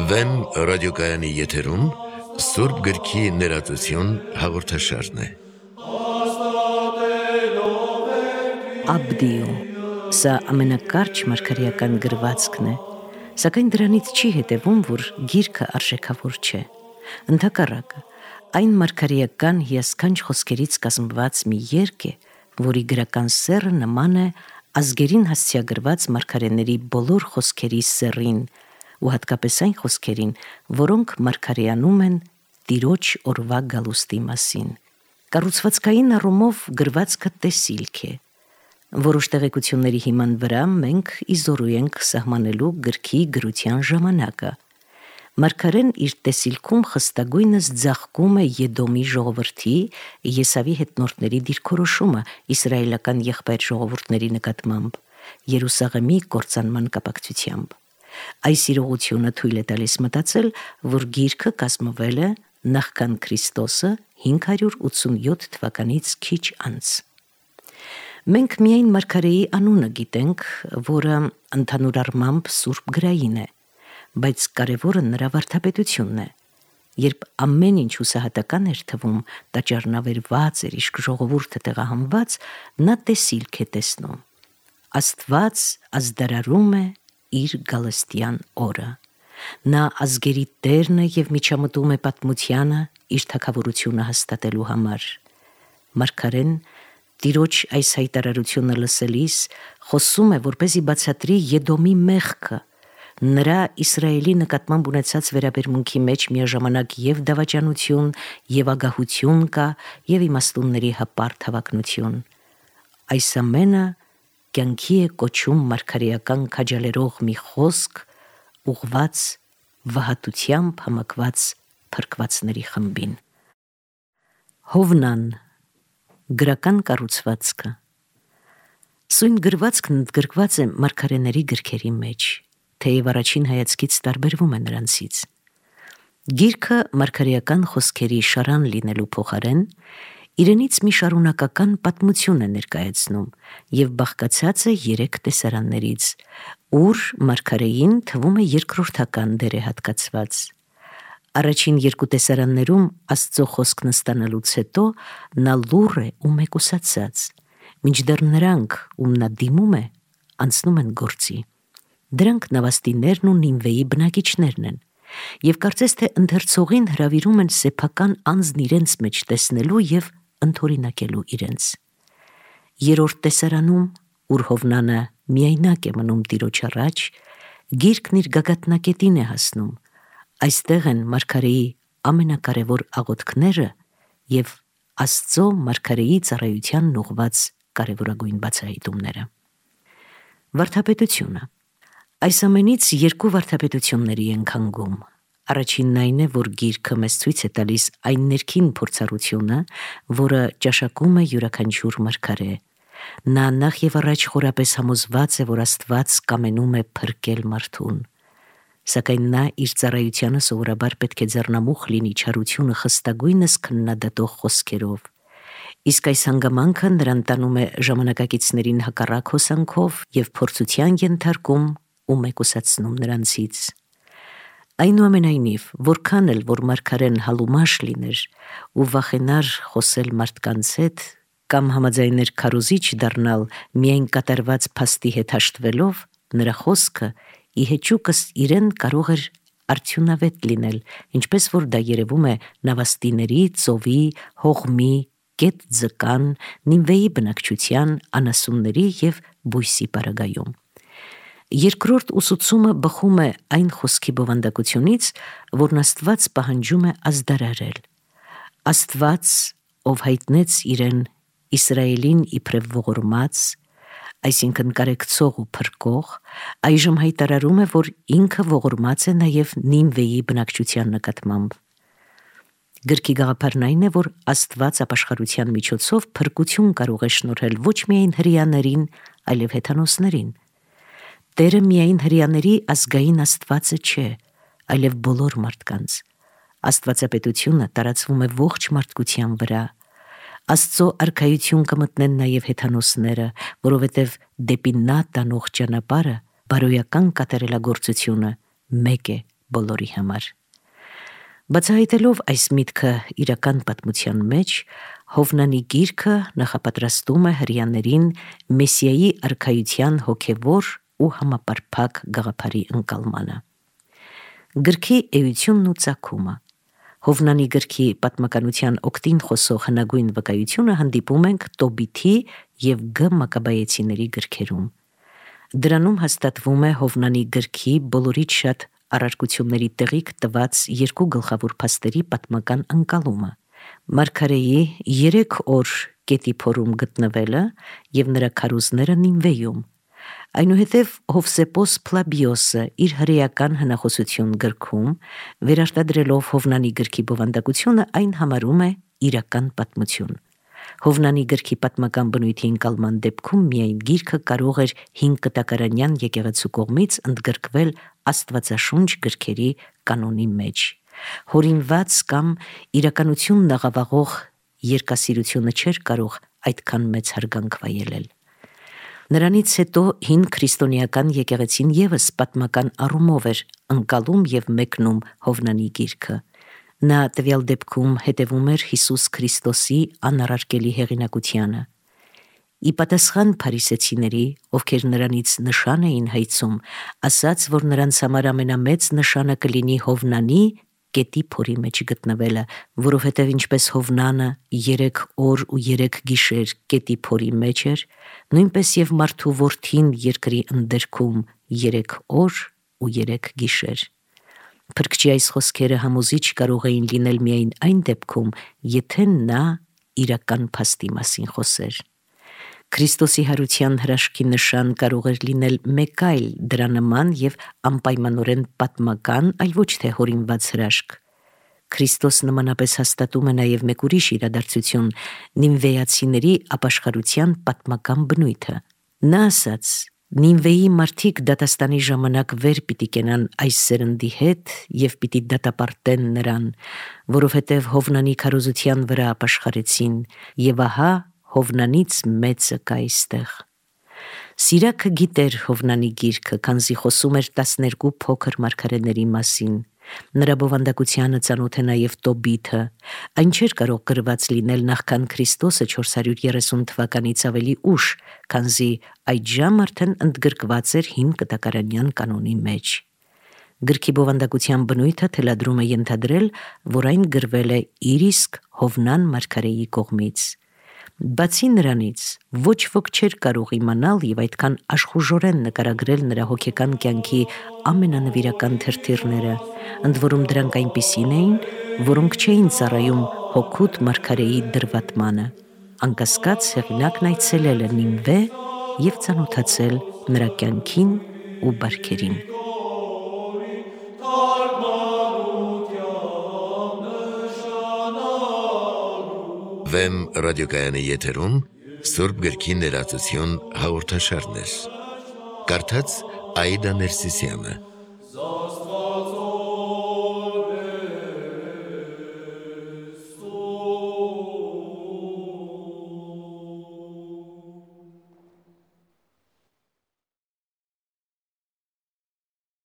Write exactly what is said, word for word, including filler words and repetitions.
Վեմ ռադիոկայանի եթերում Սուրբ գրքի ներածություն հաղորդաշարն է։ Աբդիո, սա ամենակարճ մարգարեական գրվածքն է, սակայն դրանից չի հետևում, որ գիրքը արժեքավոր չէ։ Ընդհակառակը, այն մարգարեական հիասքանչ խոսքերից կազմված մի երգ է, որի գրական սեռը նման է ազգերին հասցեագրված մարգարեների բոլոր խոսքերի սեռին, ու հատկապես այն խոսքերին, որոնք մարգարեանում են Տիրոջ օրվա գալուստի մասին։ Կառուցվածքային առումով գրվածքը տեսիլք է։ Որոշ տեղեկությունների հիման վրա մենք իզորու ենք սահմանելու գրքի գրության ժամանակը։ Մարգարեն իր տեսիլքում խստագույնս ձաղկում է Եդոմի ժողովրդի Եսավի հետնորդների դիրքորոշումը իսրայելական եղբայր ժողովուրդների նկատմամբ, Երուսաղեմի կործանման կապակցությամբ։ Այս իրողությունը թույլ է տալիս մտածել, որ գիրքը կազմվել է նախքան Քրիստոսը հինգ հարյուր ութսունյոթ թվականից քիչ անց։ Մենք միայն մարգարեի անունը գիտենք, որը ընդհանուր առմամբ սուրբ գրային է, բայց կարևորը նրա վարդապետությունն է։ Երբ ամեն ինչ հուսահատական էր թվում, տաճարնավերված էր, իսկ ժողովուրդը տեղահանված, նա տեսիլք է տեսնում։ Աստված ազդարարում է իր գալստյան օրը։ Նա ազգերի տերն է և միջամտում է պատմությանը իր թագավորությունը հաստատելու համար։ Մարգարեն Տիրոջ այս հայտարարությունը լսելիս խոսում է, որպեսզի բացատրի Եդոմի մեղքը, նրա Իսրայելի նկատմամբ ունեցած վերաբերմունքի մեջ միաժամանակ և դավաճանություն, և ագահություն կա, և իմաստունների հպարտ հավակնություն։ Այս ամենը կյանքի է կոչում մարգարեական քաջալերող մի խոսք, ուղված վհատությամբ համակված փրկվածների խմբին։ Հովնան, գրական կառուցվածքը։ Սույն գրվածքն ընդգրկված է մարգարեների գրքերի մեջ, թեև առաջին հայացքից տարբերվում է նրանցից։ Գիրքը մարգարեական խոսքերի շարան լինելու փոխարեն իրենից մի շարունակական պատմություն է ներկայացնում և բաղկացած է երեք տեսարաններից, ուր մարգարեին թվում է երկրորդական դեր է հատկացված։ Առաջին երկու տեսարաններում Աստծո խոսքն ստանալուց հետո նա լուռ է ու մեկուսացած, մինչդեռ նրանք, ում նա դիմում է, անցնում են գործի։ Դրանք Նավաստիներն ու Նինվեի բնակիչներն են, և կարծես թե ընթերցողին հրավիրում են սեփական անձն իրենց մեջ տեսնելու և ընդօրինակելու իրենց։ Երրորդ տեսարանում, ուր Հովնանը միայնակ է մնում Տիրոջ առաջ, գիրքն իր գագաթնակետին է հասնում։ Այստեղ են մարգարեի ամենակարևոր աղոթքները և Աստծո մարգարեի ծառայությանն ուղղված կարևորագույն բացահայտումները։ Վարդապետությունը։ Այս ամենից երկու վարդապետությունների ենք հանգում։ Առաջինն այն է, որ գիրքը մեզ ցույց է տալիս այն ներքին փորձառությունը, որը ճաշակում է յուրաքանչյուր մարգարե։ Նա նախ և առաջ խորապես համոզված է, որ Աստված կամենում է փրկել մարդուն։ Սակայն նա իր ծառայությանը սովորաբար պետք է ձեռնամուխ լինի չարությունը խստագույնս քննադատող խոսքերով։ Իսկ այս հանգամանքը նրան տանում է ժամանակակիցներին հակառակ հոսանքով և փորձության ենթարկում ու մեկուսացնում նրանցից։ Այնուամենայնիվ, որքան էլ որ մարգարեն հալումաշ լիներ ու վախենար խոսել մարդկանց հետ կամ համաձայներ քարոզիչ դառնալ միայն կատարված փաստի հետ հաշտվելով, նրա խոսքը ի հեճուկս իրեն կարող էր արդյունավետ լինել, ինչպես որ դա երևում է Նավաստիների, ծովի, հողմի, կետ ձկան, Նինվեի բնակչության, անասունների և բույսի պարագայում։ Երկրորդ ուսուցումը բխում է այն խոսքի բովանդակությունից, որն Աստված պահանջում է ազդարարել։ Աստված, ով հայտնեց իրեն Իսրայելին իբրև ողորմած, այսինքն կարեկցող ու փրկող, այժմ հայտարարում է, որ ինքը ողորմած է նաև Նինվեի բնակչության նկատմամբ։ Գրքի գաղափարն այն է, որ Աստված ապաշխարության միջոցով փրկություն կարող է շնորհել ոչ միայն հրեաներին, այլև հեթանոսներին։ Տերը միայն հրեաների ազգային Աստվածը չէ, այլև բոլոր մարդկանց։ Աստվածապետությունը տարածվում է ողջ մարդկության վրա։ Աստծո արքայություն կմտնեն նաև հեթանոսները, որովհետև դեպի նա տանող ճանապարհը, բարոյական կատարելագործությունը մեկ է բոլորի համար։ Բացահայտելով այս միտքը իրական պատմության մեջ, Հովնանի գիրքը նախապատրաստում է հրեաներին Մեսիայի արքայության հոգևոր ու համապարփակ գաղափարի ընկալմանը։ Գրքի էությունն ու ծագումը։ Հովնանի գրքի պատմականության օգտին խոսող հնագույն վկայությունը հանդիպում ենք Տոբիթի և Գ Մակաբայեցիների գրքերում։ Դրանում հաստատվում է Հովնանի գրքի բոլորից շատ առարկությունների տեղիք տված երկու գլխավոր փաստերի պատմական ընկալումը՝ մարգարեի երեք օր գետի փորում գտնվելը և նրա քարոզները Նինվեում։ Այնուհետև Հովսեփոս Փլաբիոսը իր հրեական հնախոսություն գրքում, վերարտադրելով Հովնանի գրքի բովանդակությունը, այն համարում է իրական պատմություն։ Հովնանի գրքի պատմական բնույթի ընկալման դեպքում միայն գիրքը կարող էր հինգ կտակարանյան եկեղեցու կողմից ընդգրկվել Աստվածաշունչ գրքերի կանոնի մեջ։ Հորինված կամ իրականությունն աղավաղող երկասիրությունը չէր կարող այդքան մեծ հարգանք վայելել։ Նրանից հետո հին քրիստոնեական եկեղեցին ևս պատմական առումով էր ընկալում և մեկնում Հովնանի գիրքը։ Նա տվյալ դեպքում հետևում էր Հիսուս Քրիստոսի անառարկելի հեղինակությանը։ Ի պատասխան փարիսեցիների, ովքեր նրանից նշան էին հայցում, ասաց, որ նրանց համար ամենամեծ նշանը կլինի Հովնանի գետի փորի մեջ գտնվելը, որովհետև ինչպես Հովնանը երեք օր ու երեք գիշեր գետի փորի մեջ էր, նույնպես և մարդու որդին երկրի ընդերքում երեք օր ու երեք գիշեր։ Փրկչի այս խոսքերը համոզիչ կարող էին լինել միայն այն դեպքում, եթե նա իրական փաստի մասին խոսեր։ Քրիստոսի հարության հրաշքի նշան կարող էր լինել մեկ այլ դրա նման և անպայմանորեն պատմական, այլ ոչ թե հորինված հրաշք։ Քրիստոս նմանապես հաստատում է նաև մեկ ուրիշ իրադարձություն՝ նինվեացիների ապաշխարության պատմական բնույթը։ Նա ասաց. «Նինվեի մարդիկ դատաստանի ժամանակ վեր պիտի կենան այս սերնդի հետ և պիտի դատապարտեն նրան, որովհետև Հովնանի քարոզության վրա ապաշխարեցին, և ահա Հովնանից մեծը կա այստեղ»։ Սիրակը գիտեր Հովնանի գիրքը, քանզի խոսում էր տասներկու փոքր մարգարեների մասին։ Նրա բովանդակությանը ծանոթ է նաև Տոբիթը։ Այն չէր կարող գրված լինել նախքան Քրիստոսը չորս հարյուր երեսուն թվականից ավելի ուշ, քանզի այդժամ արդեն ընդգրկված էր հին կտակարանյան կանոնի մեջ։ Գրքի բովանդակության բնույթը թելադրում է ենթադրել, որ այն գրվել է իր իսկ Հովնան մարգարեի կողմից։ Բացի նրանից, ոչ ոք չէր կարող իմանալ և այդքան աշխուժորեն նկարագրել նրա հոգեկան կյանքի ամենանվիրական թրթիռները, ընդ որում դրանք այնպիսին էին, որոնք չէին ծառայում հօգուտ մարգարեի դրվատմանը։ Անկասկած հեղինակն այցելել է Նինվե և ծանոթացել նրա կյանքին ու բարքերին։ Վեմ ռադիոկայանի եթերում Սուրբ գրքի ներածություն հաղորդաշարներ։ Կարդաց Աիդա Ներսիսյանը։